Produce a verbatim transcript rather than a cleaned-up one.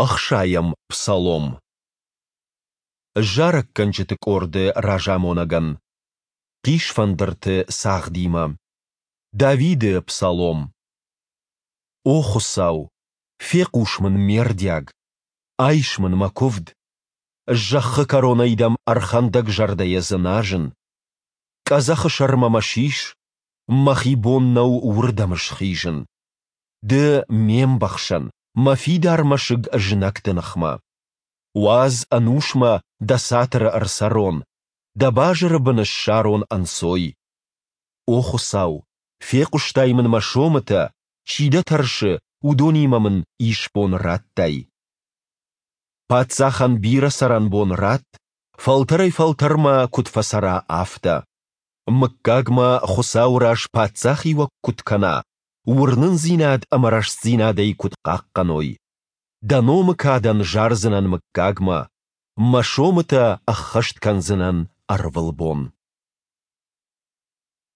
Ӕхсайӕм псалом. Зарӕггӕнджыты къорды разамонӕгӕн. Хъисфӕндырты цагъдимӕ. Давиды псалом. О Хуыцау, фехъус мын ме рдиаг, айс мын мӕ куывд. Зӕххы кӕронӕй дӕм ӕрхӕндӕг зӕрдӕйӕ дзыназын. Къӕдзӕхы сӕрмӕ мӕ сис, мӕхи бон нӕу уырдӕм схизын. Ды ме мбӕхсӕн, мӕ фидар мӕсыг знӕгты ныхмӕ. Уадз ӕнусмӕ дӕ цатыры ӕрцӕрон, дӕ базыры бын ссарон ӕнцой. О Хуыцау, фехъуыстай мын мӕ сомытӕ, чи дӕ тӕрсы, уыдонимӕ мын исбон радтай. Паддзахӕн бирӕ цӕрӕнбон ратт, фӕлтӕрӕй-фӕлтӕрмӕ куыд фӕцӕра, афтӕ. Мыггагмӕ Хуыцауы раз паддзахиуӕг куыд кӕна, уырнындзинад ӕмӕ рӕстдзинад ӕй куыд хъахъхъӕной. Дӕ номы кадӕн зардзынӕн мыггагмӕ, мӕ сомытӕ ӕххӕст кӕндзынӕн ӕрвылбон.